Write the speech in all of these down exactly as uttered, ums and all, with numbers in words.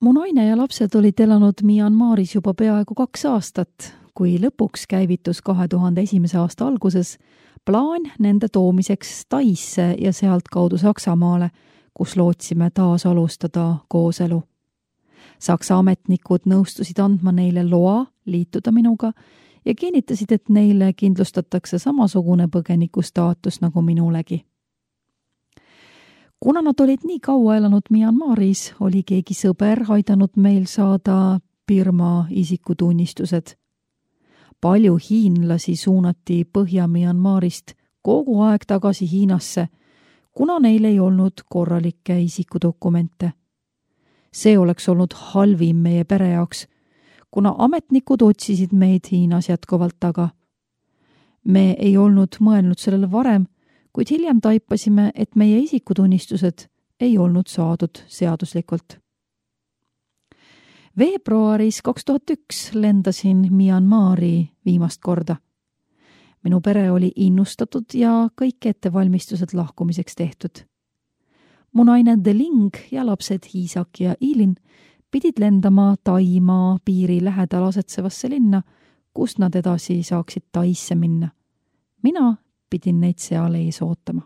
Mu naine ja lapsed olid elanud Myanmaris juba peaaegu kaks aastat, kui lõpuks käivitus kahe tuhande esimese aasta alguses plaan nende toomiseks Taisse ja sealt kaudu Saksamaale, kus lootsime taas alustada kooselu. Saksa ametnikud nõustusid andma neile loa liituda minuga ja kinnitasid, et neile kindlustatakse samasugune põgeniku staatus nagu minulegi. Kuna nad olid nii kaua elanud Myanmaris, oli keegi sõber aidanud meil saada Birma isikutunnistused. Palju hiinlasi suunati Põhja-Myanmarist kogu aeg tagasi Hiinasse, kuna neil ei olnud korralikke isikudokumente. See oleks olnud halvim meie pere jaoks, kuna ametnikud otsisid meid Hiinas jätkuvalt taga. Me ei olnud mõelnud sellele varem, kuid hiljem taipasime, et meie isikutunnistused ei olnud saadud seaduslikult. Veebruaris kaks tuhat üks lendasin Myanmari viimast korda. Minu pere oli innustatud ja kõik ettevalmistused lahkumiseks tehtud. Mu naine Deling ja lapsed Isak ja Ilin pidid lendama Taimaa piiri lähedal asetsevasse linna, kus nad edasi saaksid Taisse minna. Mina pidin neid seal ees ootama.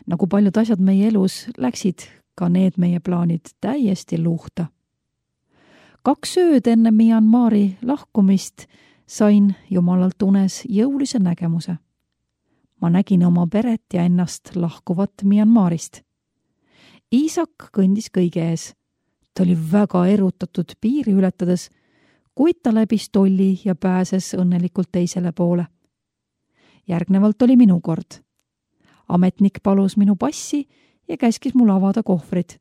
Nagu paljud asjad meie elus, läksid ka need meie plaanid täiesti luhta. Kaks ööd enne Myanmari lahkumist sain jumalalt unes jõulise nägemuse. Ma nägin oma peret ja ennast lahkuvat Myanmarist. Isak kõndis kõige ees. Ta oli väga erutatud piiri ületades, kuid ta läbis tolli ja pääses õnnelikult teisele poole. Järgnevalt oli minu kord. Ametnik palus minu passi ja käskis mul avada kohvrid.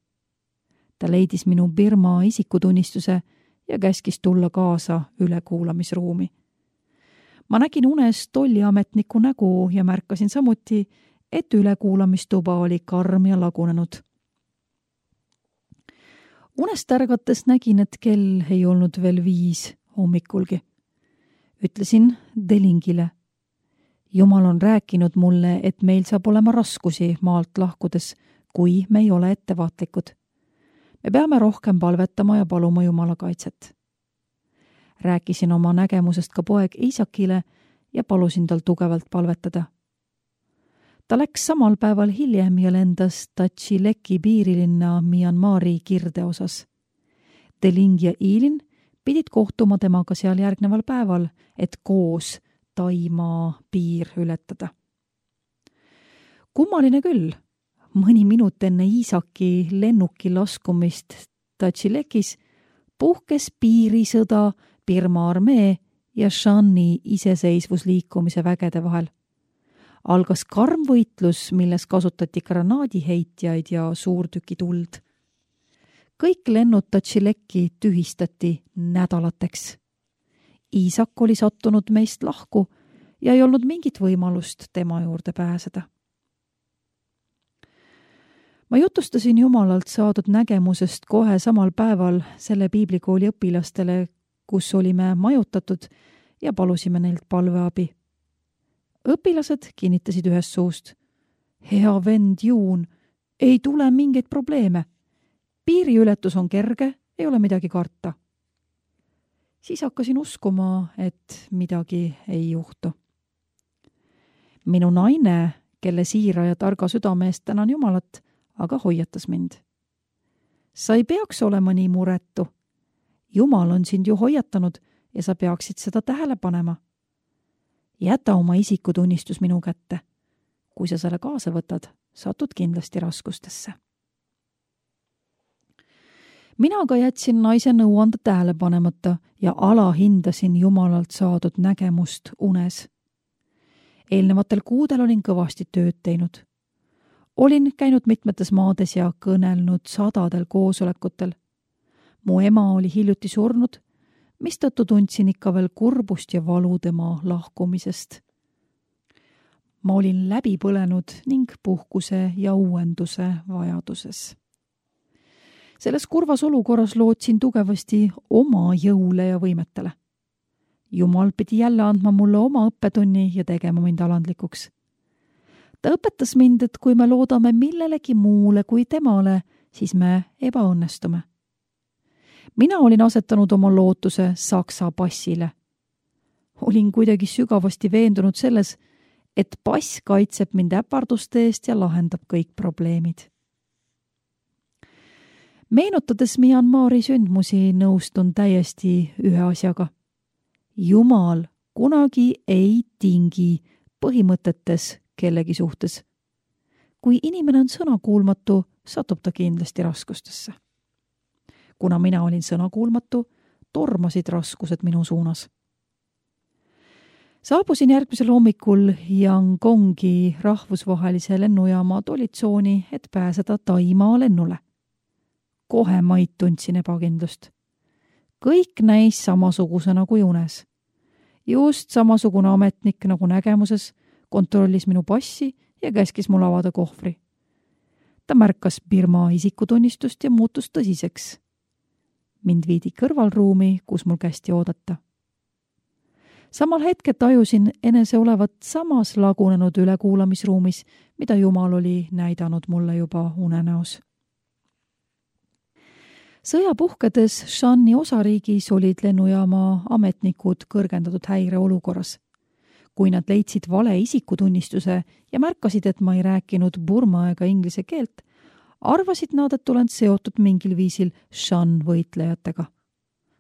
Ta leidis minu Birma isikutunnistuse ja käskis tulla kaasa ülekuulamisruumi. Ma nägin unes tolliametniku nägu ja märkasin samuti, et ülekuulamistuba oli karm ja lagunenud. Unest ärgates nägin, et kell ei olnud veel viis hommikulgi. Ütlesin Delingile. Jumal on rääkinud mulle, et meil saab olema raskusi maalt lahkudes, kui me ei ole ettevaatlikud. Me peame rohkem palvetama ja paluma Jumala kaitset. Rääkisin oma nägemusest ka poeg Isakile ja palusin tal tugevalt palvetada. Ta läks samal päeval hiljem ja lendas Tachileki piirilinna Myanmari kirde osas. Deling ja Ilin pidid kohtuma temaga seal järgneval päeval, et koos Taimaa piir ületada. Kummaline küll, mõni minut enne Isaki lennuki laskumist Tachilekis puhkes piirisõda Birma armee ja Shani iseseisvusliikumise vägede vahel. Algas karm võitlus, milles kasutati granaadiheitjaid ja suurtükituld. Kõik lennud Tachileki tühistati nädalateks. Isak oli sattunud meist lahku ja ei olnud mingit võimalust tema juurde pääseda. Ma jutustasin Jumalalt saadud nägemusest kohe samal päeval selle piiblikooli õpilastele, kus olime majutatud ja palusime neilt palveabi. Õpilased kinnitasid ühest suust. Hea vend Juun, ei tule mingeid probleeme. Piiriületus on kerge, ei ole midagi karta. Siis hakkasin uskuma, et midagi ei juhtu. Minu naine, kelle siira ja targa südame eest tänan Jumalat, aga hoiatas mind. Sa ei peaks olema nii muretu. Jumal on sind ju hoiatanud ja sa peaksid seda tähele panema. Jäta oma isikutunnistus minu kätte. Kui sa selle kaasa võtad, satud kindlasti raskustesse. Mina aga jätsin naise nõuande tähele panemata ja alahindasin Jumalalt saadud nägemust unes. Eelnevatel kuudel olin kõvasti tööd teinud. Olin käinud mitmetes maades ja kõnelnud sadadel koosolekutel. Mu ema oli hiljuti surnud, mistõttu tundsin ikka veel kurbust ja valu tema lahkumisest. Ma olin läbi põlenud ning puhkuse ja uuenduse vajaduses. Selles kurvas olukorras lootsin tugevasti oma jõule ja võimetele. Jumal pidi jälle andma mulle oma õppetunni ja tegema mind alandlikuks. Ta õpetas mind, et kui me loodame millelegi muule kui temale, siis me ebaõnnestume. mina olin asetanud oma lootuse Saksa passile. Olin kuidagi sügavasti veendunud selles, et pass kaitseb mind äparduste eest ja lahendab kõik probleemid. Meenutades Myanmari sündmusi nõustun täiesti ühe asjaga. Jumal kunagi ei tingi põhimõtetes kellegi suhtes. Kui inimene on sõnakuulmatu, satub ta kindlasti raskustesse. Kuna mina olin sõnakuulmatu, tormasid raskused minu suunas. Saabusin järgmisel hommikul Yangongi rahvusvahelise lennujaama tolitsooni, et pääseda Taimaa lennule. Kohe maid tundsin ebakindlust. Kõik näis samasuguse nagu unes. Just samasugune ametnik nagu nägemuses kontrollis minu passi ja käskis mul avada kohvri. Ta märkas Birma isikutunnistust ja muutus tõsiseks. Mind viidi kõrvalruumi, kus mul kästi oodata. Samal hetke tajusin enese olevat samas lagunenud ülekuulamisruumis, mida Jumal oli näidanud mulle juba unenäos. Sõja puhkedes Shani osariigis olid lennujaama ametnikud kõrgendatud häire olukorras. Kui nad leidsid vale isikutunnistuse ja märkasid, et ma ei rääkinud burma ega inglise keelt, arvasid nad, et olen seotud mingil viisil Shan võitlejatega.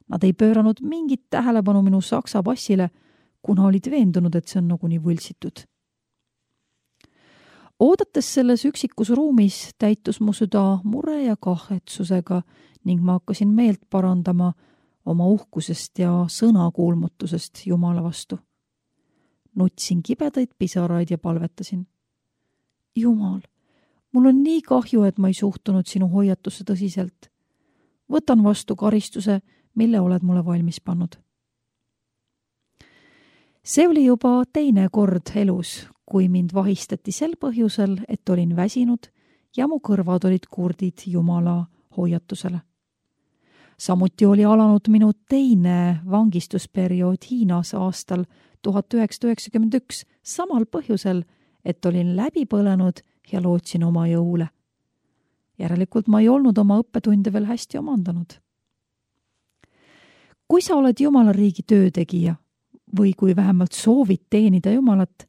Nad ei pööranud mingit tähelepanu minu saksa passile, kuna olid veendunud, et see on naguni võltsitud. Oodates selles üksikus ruumis täitus mu süda mure ja kahetsusega ning ma hakkasin meelt parandama oma uhkusest ja sõnakuulmatusest Jumala vastu. Nutsin kibedaid pisaraid ja palvetasin. Jumal, mul on nii kahju, et ma ei suhtunud sinu hoiatusse tõsiselt. Võtan vastu karistuse, mille oled mulle valmis pannud. See oli juba teine kord elus, kui mind vahistati sel põhjusel, et olin väsinud ja mu kõrvad olid kurdid Jumala hoiatusele. Samuti oli alanud minu teine vangistusperiood Hiinas aastal tuhat üheksasada üheksakümmend üks samal põhjusel, et olin läbi põlenud ja lootsin oma jõule. Järelikult ma ei olnud oma õppetunde veel hästi omandanud. Kui sa oled Jumala riigi töötegija või kui vähemalt soovid teenida Jumalat,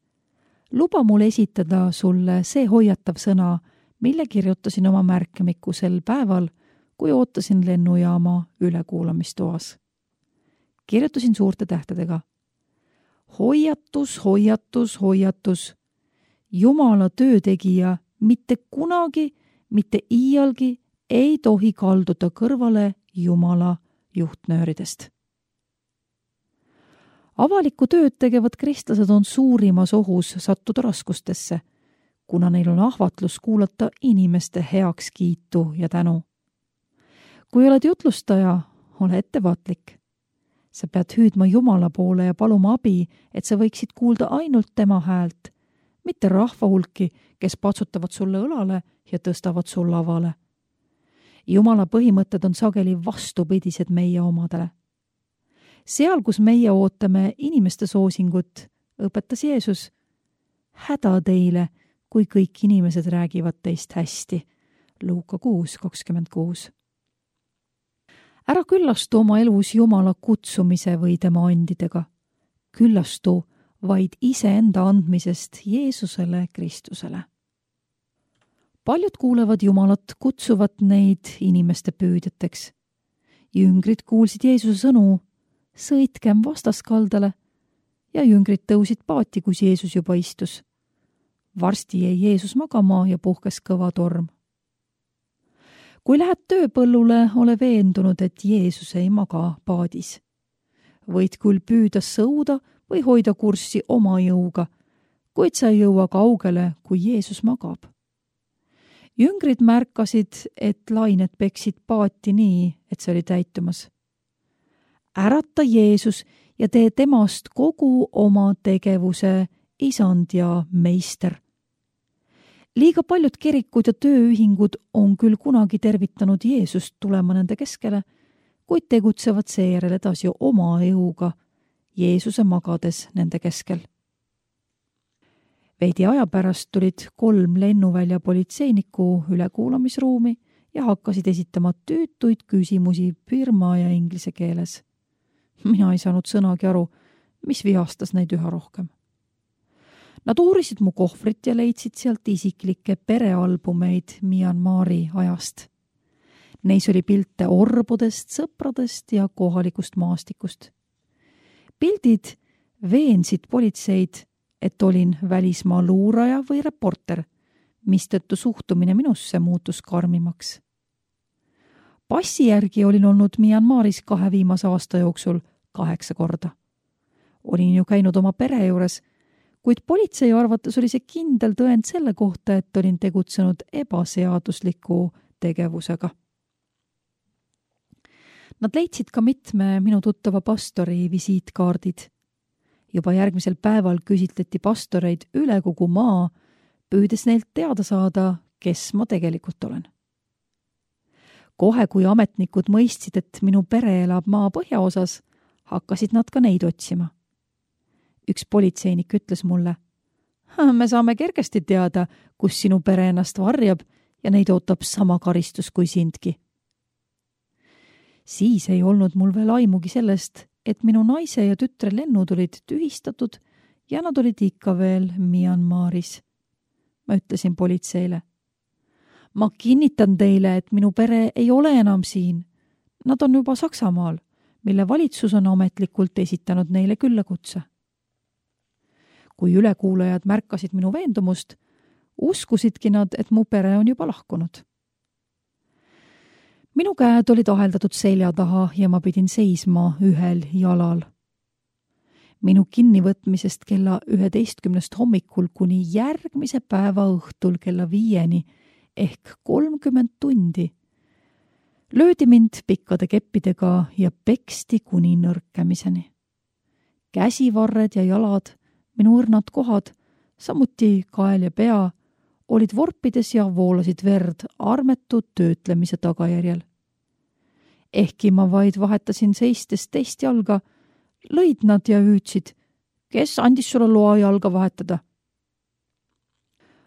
luba mul esitada sulle see hoiatav sõna, mille kirjutasin oma märkmiku sel päeval, kui ootasin lennujaama ülekuulamistoas. Kirjutasin suurte tähtedega. Hoiatus, hoiatus, hoiatus. Jumala töötegija mitte kunagi, mitte iialgi ei tohi kalduda kõrvale Jumala juhtnööridest. Avalikku tööd tegevad kristlased on suurimas ohus sattuda raskustesse, kuna neil on ahvatlus kuulata inimeste heakskiitu ja tänu. Kui oled jutlustaja, ole ettevaatlik. Sa pead hüüdma Jumala poole ja paluma abi, et sa võiksid kuulda ainult tema häält, mitte rahva hulki, kes patsutavad sulle õlale ja tõstavad sul lavale. Jumala põhimõtted on sageli vastupidised meie omadele. Seal, kus meie ootame inimeste soosingut, õpetas Jeesus, häda teile, kui kõik inimesed räägivad teist hästi. Luuka kuus kakskümmend kuus. Ära küllastu oma elus Jumala kutsumise või tema andidega. Küllastu vaid iseenda andmisest Jeesusele Kristusele. Paljud kuulevad Jumalat, kutsuvad neid inimeste püüdjateks. Jüngrid kuulsid Jeesuse sõnu, sõitkem vastaskaldale, ja jüngrid tõusid paati, kus Jeesus juba istus. Varsti jäi Jeesus magama ja puhkes kõva torm. Kui lähed tööpõllule, ole veendunud, et Jeesus ei maga paadis. Võid küll püüda sõuda või hoida kurssi oma jõuga, kuid sa ei jõua kaugele, kui Jeesus magab. Jüngrid märkasid, et lained peksid paati nii, et see oli täitumas. Ärata Jeesus ja tee temast kogu oma tegevuse isand ja meister. Liiga paljud kirikud ja tööühingud on küll kunagi tervitanud Jeesust tulema nende keskele, kuid tegutsevad seejärel edasi oma jõuga, Jeesuse magades nende keskel. Veidi aja pärast tulid kolm lennuvälja politseinikku ülekuulamisruumi ja hakkasid esitama tüütuid küsimusi birma ja inglise keeles. Mina ei saanud sõnagi aru, mis vihastas neid üha rohkem. Nad uurisid mu kohvrit ja leidsid sealt isiklikke perealbumeid Myanmari ajast. Neis oli pilte orbudest, sõpradest ja kohalikust maastikust. Pildid veensid politseid, et olin välismaa luuraja või reporter, mistõttu suhtumine minusse muutus karmimaks. Passi järgi olin olnud Myanmaris kahe viimase aasta jooksul kaheksa korda. Olin ju käinud oma pere juures, kuid politsei arvates oli see kindel tõend selle kohta, et olin tegutsenud ebaseadusliku tegevusega. Nad leidsid ka mitme minu tuttava pastori visiitkaardid. Juba järgmisel päeval küsitleti pastoreid üle kogu maa, püüdes neilt teada saada, kes ma tegelikult olen. Kohe, kui ametnikud mõistsid, et minu pere elab maa põhjaosas, hakkasid nad ka neid otsima. Üks politseinik ütles mulle, me saame kergesti teada, kus sinu pere ennast varjab ja neid ootab sama karistus kui sindki. Siis ei olnud mul veel aimugi sellest, et minu naise ja tütre lennud olid tühistatud ja nad olid ikka veel Myanmaris. Ma ütlesin politseile. Ma kinnitan teile, et minu pere ei ole enam siin. Nad on juba Saksamaal, mille valitsus on ametlikult esitanud neile küllakutse. Kui ülekuulajad märkasid minu veendumust, uskusidki nad, et mu pere on juba lahkunud. Minu käed olid aheldatud selja taha ja ma pidin seisma ühel jalal. Minu kinnivõtmisest kella üheteistkümnest hommikul kuni järgmise päeva õhtul kella viieni ehk kolmkümmend tundi löödi mind pikkade keppidega ja peksti kuni nõrkemiseni. Käsivarred ja jalad, minu õrnad kohad, samuti kael ja pea, olid vorpides ja voolasid verd armetud töötlemise tagajärjel. Ehkki ma vaid vahetasin seistes teist jalga, lõid nad ja hüüdsid, kes andis sulle loa jalga vahetada.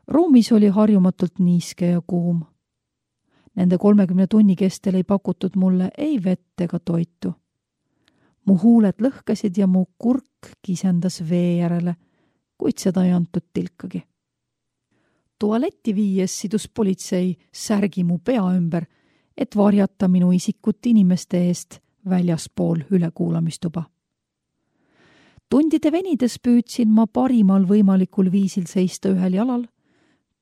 Ruumis oli harjumatult niiske ja kuum. Nende kolmekümne tunni kestel ei pakutud mulle ei vett ega toitu. Mu huuled lõhkesid ja mu kurk kisendas vee järele, kuid seda ei antud tilkagi. Tualetti viies sidus politsei särgi mu pea ümber, et varjata minu isikut inimeste eest väljaspool ülekuulamistuba. Tundide venides püüdsin ma parimal võimalikul viisil seista ühel jalal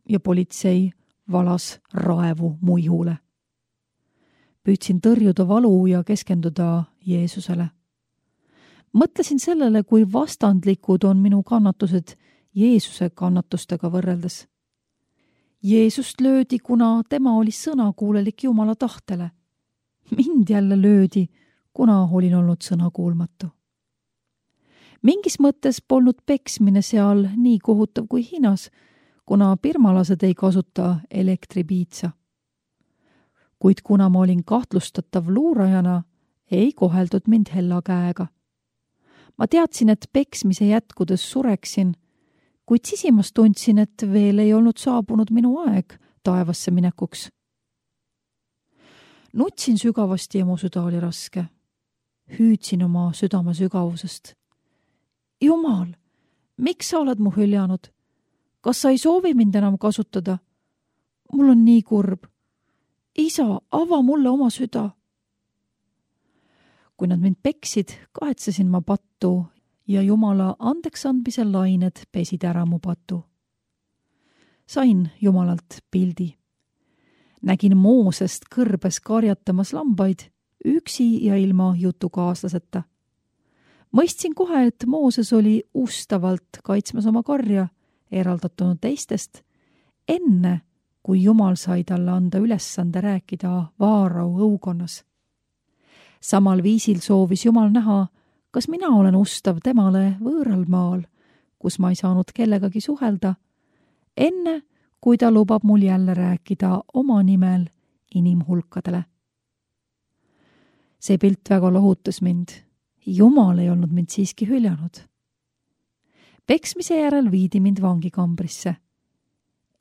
ja politsei valas raevu mu ihule. Püüdsin tõrjuda valu ja keskenduda Jeesusele. Mõtlesin sellele, kui vastandlikud on minu kannatused Jeesuse kannatustega võrreldes. Jeesust löödi, kuna tema oli sõnakuulelik Jumala tahtele. Mind jälle löödi, kuna olin olnud sõnakuulmatu. Mingis mõttes polnud peksmine seal nii kohutav kui Hiinas, kuna birmalased ei kasuta elektripiitsa. Kuid kuna ma olin kahtlustatav luurajana, ei koheldud mind hella käega. Ma teadsin, et peksmise jätkudes sureksin, kuid sisimas tundsin, et veel ei olnud saabunud minu aeg taevasse minekuks. Nutsin sügavasti ja mu süda oli raske. Hüüdsin oma südame sügavusest. Jumal, miks sa oled mu hüljanud? Kas sa ei soovi mind enam kasutada? Mul on nii kurb. Isa, ava mulle oma süda. Kui nad mind peksid, kahetsesin ma pattu ja Jumala andeksandmise lained pesid ära mu patu. Sain Jumalalt pildi. Nägin Moosest kõrbes karjatamas lambaid, üksi ja ilma jutukaaslaseta. Mõistsin kohe, et Mooses oli ustavalt kaitsmas oma karja, eraldatunud teistest, enne kui Jumal sai talle anda ülesande rääkida Vaarau õukonnas. Samal viisil soovis Jumal näha, kas mina olen ustav temale võõral maal, kus ma ei saanud kellegagi suhelda, enne kui ta lubab mul jälle rääkida oma nimel inimhulkadele. See pilt väga lohutas mind. Jumal ei olnud mind siiski hüljanud. Peksmise järel viidi mind vangikambrisse.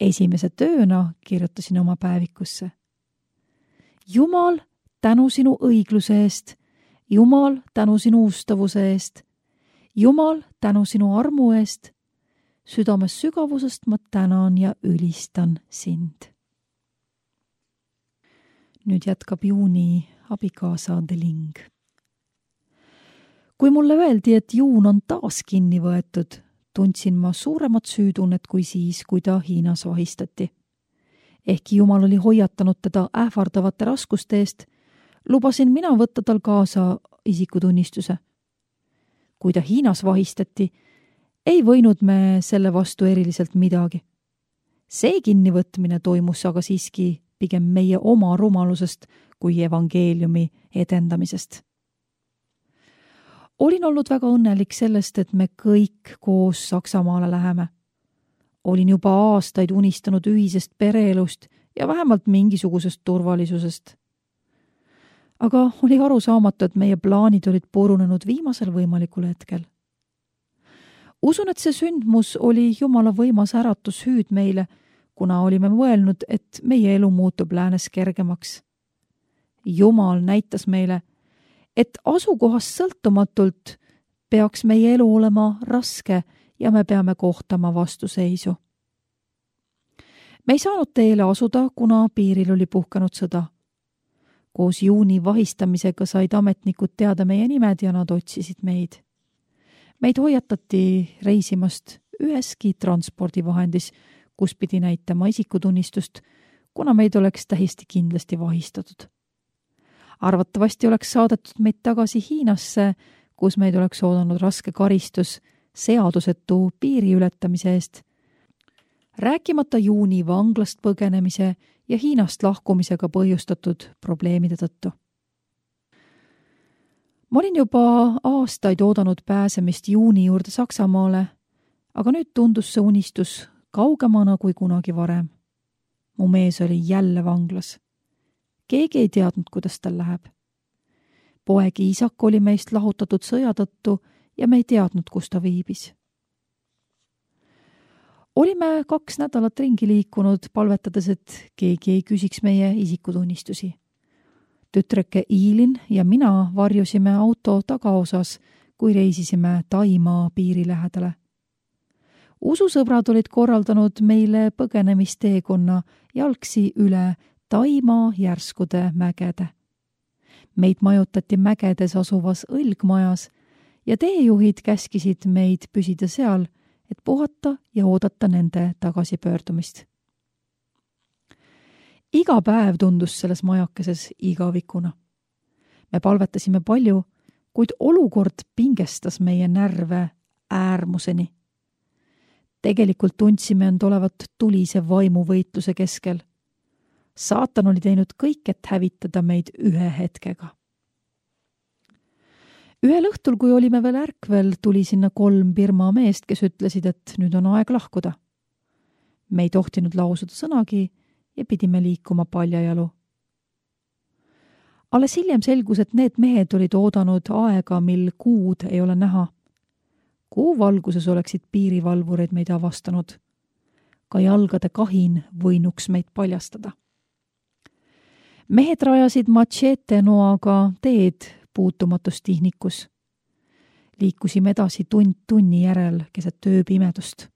Esimese tööna kirjutasin oma päevikusse. Jumal, tänu sinu õigluse eest. Jumal, tänu sinu ustavuse eest. Jumal, tänu sinu armu eest. Südames sügavusest ma tänan ja ülistan sind. Nüüd jätkab Juuni abikaasa Deling. Kui mulle öeldi, et Juun on taas kinni võetud, tundsin ma suuremat süütunnet kui siis, kui ta Hiinas vahistati. Ehkki Jumal oli hoiatanud teda ähvardavate raskuste eest, lubasin mina võtta tal kaasa isikutunnistuse. Kui ta Hiinas vahistati, ei võinud me selle vastu eriliselt midagi. See kinnivõtmine toimus aga siiski pigem meie oma rumalusest kui evangeeliumi edendamisest. Olin olnud väga õnnelik sellest, et me kõik koos Saksamaale läheme. Olin juba aastaid unistanud ühisest pereelust ja vähemalt mingisugusest turvalisusest. Aga oli aru saamatu, et meie plaanid olid purunenud viimasel võimalikul hetkel. Usun, et see sündmus oli Jumala võimas äratus hüüd meile, kuna olime mõelnud, et meie elu muutub läänes kergemaks. Jumal näitas meile, et asukohast sõltumatult peaks meie elu olema raske ja me peame kohtama vastuseisu. Me ei saanud teele asuda, kuna piiril oli puhkenud sõda. Koos Juuni vahistamisega said ametnikud teada meie nimed ja nad otsisid meid. Meid hoiatati reisimast üheski transpordivahendis, kus pidi näitama isikutunnistust, kuna meid oleks täiesti kindlasti vahistatud. Arvatavasti oleks saadetud meid tagasi Hiinasse, kus meid oleks oodanud raske karistus seadusetu piiri ületamise eest, rääkimata Juuni vanglast põgenemise ja Hiinast lahkumisega põhjustatud probleemide tõttu. Ma olin juba aastaid oodanud pääsemist Juuni juurde Saksamaale, aga nüüd tundus see unistus kaugemana kui kunagi varem. Mu mees oli jälle vanglas. Keegi ei teadnud, kuidas tal läheb. Poeg Iisak oli meist lahutatud sõja tõttu ja me ei teadnud, kus ta viibis. Olime kaks nädalat ringi liikunud, palvetades, et keegi ei küsiks meie isikutunnistusi. Tütreke Iilin ja mina varjusime auto tagaosas, kui reisisime Taimaa piiri lähedale. Ususõbrad olid korraldanud meile põgenemisteekonna jalgsi üle Taimaa järskude mägede. Meid majutati mägedes asuvas õlgmajas ja teejuhid käskisid meid püsida seal, et puhata ja oodata nende tagasipöördumist. Iga päev tundus selles majakeses igavikuna. Me palvetasime palju, kuid olukord pingestas meie närve äärmuseni. Tegelikult tundsime end olevat tulise vaimuvõitluse keskel. Saatan oli teinud kõik, et hävitada meid ühe hetkega. Ühel õhtul, kui olime veel ärkvel, tuli sinna kolm Birma meest, kes ütlesid, et nüüd on aeg lahkuda. Me ei tohtinud lausuda sõnagi ja pidime liikuma paljajalu. Alles hiljem selgus, et need mehed olid oodanud aega, mil kuud ei ole näha. Kuu valguses oleksid piirivalvureid meid avastanud. Ka jalgade kahin võinuks meid paljastada. Mehed rajasid machete noaga teed puutumatustihnikus. Liikusime edasi tund tunni järel keset tööpimedust.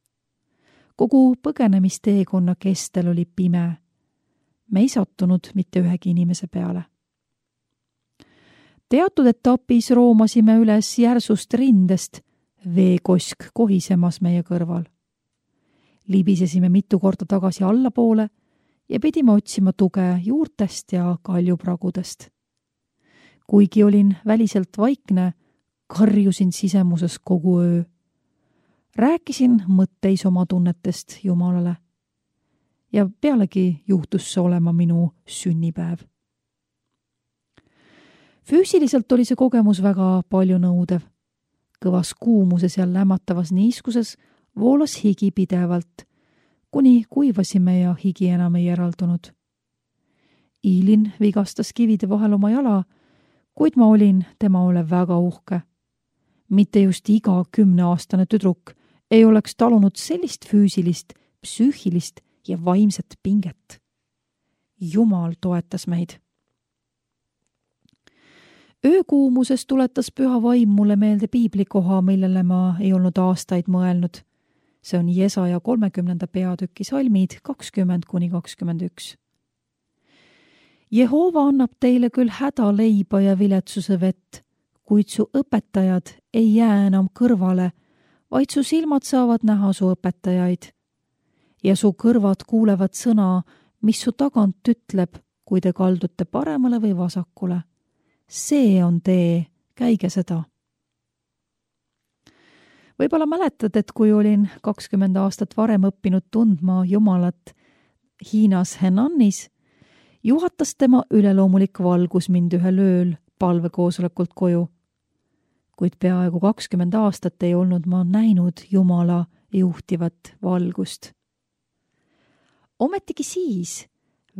Kogu põgenemisteekonna kestel oli pime. Me ei sattunud mitte ühegi inimese peale. Teatud etapis roomasime üles järsust rindest, veekosk kohisemas meie kõrval. Libisesime mitu korda tagasi allapoole ja pidime otsima tuge juurtest ja kaljupragudest. Kuigi olin väliselt vaikne, karjusin sisemuses kogu öö. Rääkisin mõtteis oma tunnetest Jumalale. Ja pealegi juhtus see olema minu sünnipäev. Füüsiliselt oli see kogemus väga palju nõudev. Kõvas kuumuses ja lämmatavas niiskuses voolas higi pidevalt, kuni kuivasime ja higi enam ei eraldunud. Iilin vigastas kivide vahel oma jala, kuid ma olin tema üle väga uhke. Mitte just iga kümneaastane tüdruk ei oleks talunud sellist füüsilist, psüühilist ja vaimset pinget. Jumal toetas meid. öökuumuses tuletas püha vaim mulle meelde piiblikoha, millele ma ei olnud aastaid mõelnud. See on Jesaja kolmekümnenda peatüki salmid kakskümmend kuni kakskümmend üks. Jehova annab teile küll hädaleiba ja viletsuse vett, kuid su õpetajad ei jää enam kõrvale, vaid su silmad saavad näha su õpetajaid. Ja su kõrvad kuulevad sõna, mis su tagant ütleb, kui te kaldute paremale või vasakule. See on tee, käige seda. Võib-olla mäletad, et kui olin kakskümmend aastat varem õppinud tundma Jumalat Hiinas Henanis, juhatas tema üleloomulik valgus mind ühel ööl palvekoosolekult koju. Kuid peaaegu kakskümmend aastat ei olnud ma näinud Jumala juhtivat valgust. Ometigi siis,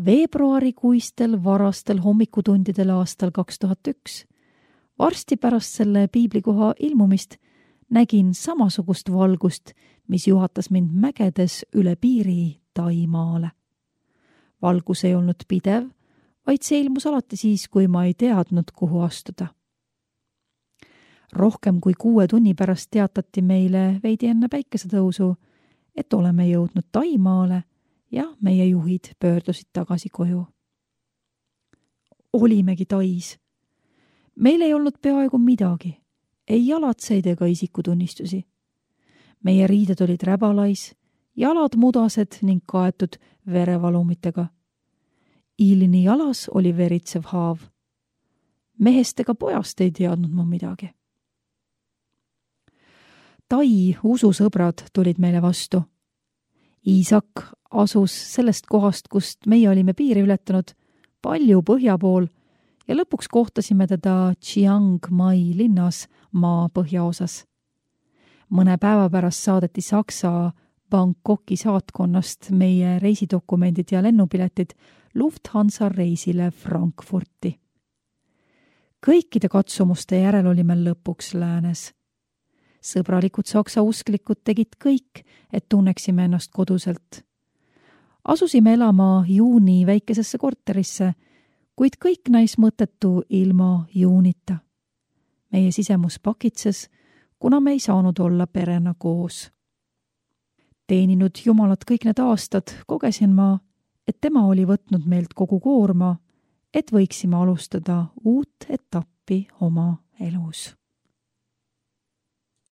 veebruarikuistel varastel hommikutundidel aastal kaks tuhat üks, varsti pärast selle piiblikoha ilmumist, nägin samasugust valgust, mis juhatas mind mägedes üle piiri Taimaale. Valgus ei olnud pidev, vaid see ilmus alati siis, kui ma ei teadnud, kuhu astuda. Rohkem kui kuue tunni pärast teatati meile veidi enne päikesetõusu, et oleme jõudnud Taimaale ja meie juhid pöördusid tagasi koju. Olimegi Tais. Meil ei olnud peaaegu midagi, ei jalatseid ega isikutunnistusi. Meie riided olid räbalais, jalad mudased ning kaetud verevalumitega. Ilni jalas oli veritsev haav. Mehest ega pojast ei teadnud ma midagi. Tai ususõbrad tulid meile vastu. Iisak asus sellest kohast, kust meie olime piiri ületanud, palju põhja pool ja lõpuks kohtasime teda Chiang Mai linnas maa põhjaosas. Mõne päeva pärast saadeti Saksa Bangkoki saatkonnast meie reisidokumendid ja lennupiletid Lufthansa reisile Frankfurti. Kõikide katsumuste järel olime lõpuks läänes. Sõbralikud saksa usklikud tegid kõik, et tunneksime ennast koduselt. Asusime elama Juuni väikesesse korterisse, kuid kõik näis mõttetu ilma Juunita. Meie sisemus pakitses, kuna me ei saanud olla perena koos. Teeninud Jumalat kõik need aastad, kogesin ma, et tema oli võtnud meilt kogu koorma, et võiksime alustada uut etappi oma elus.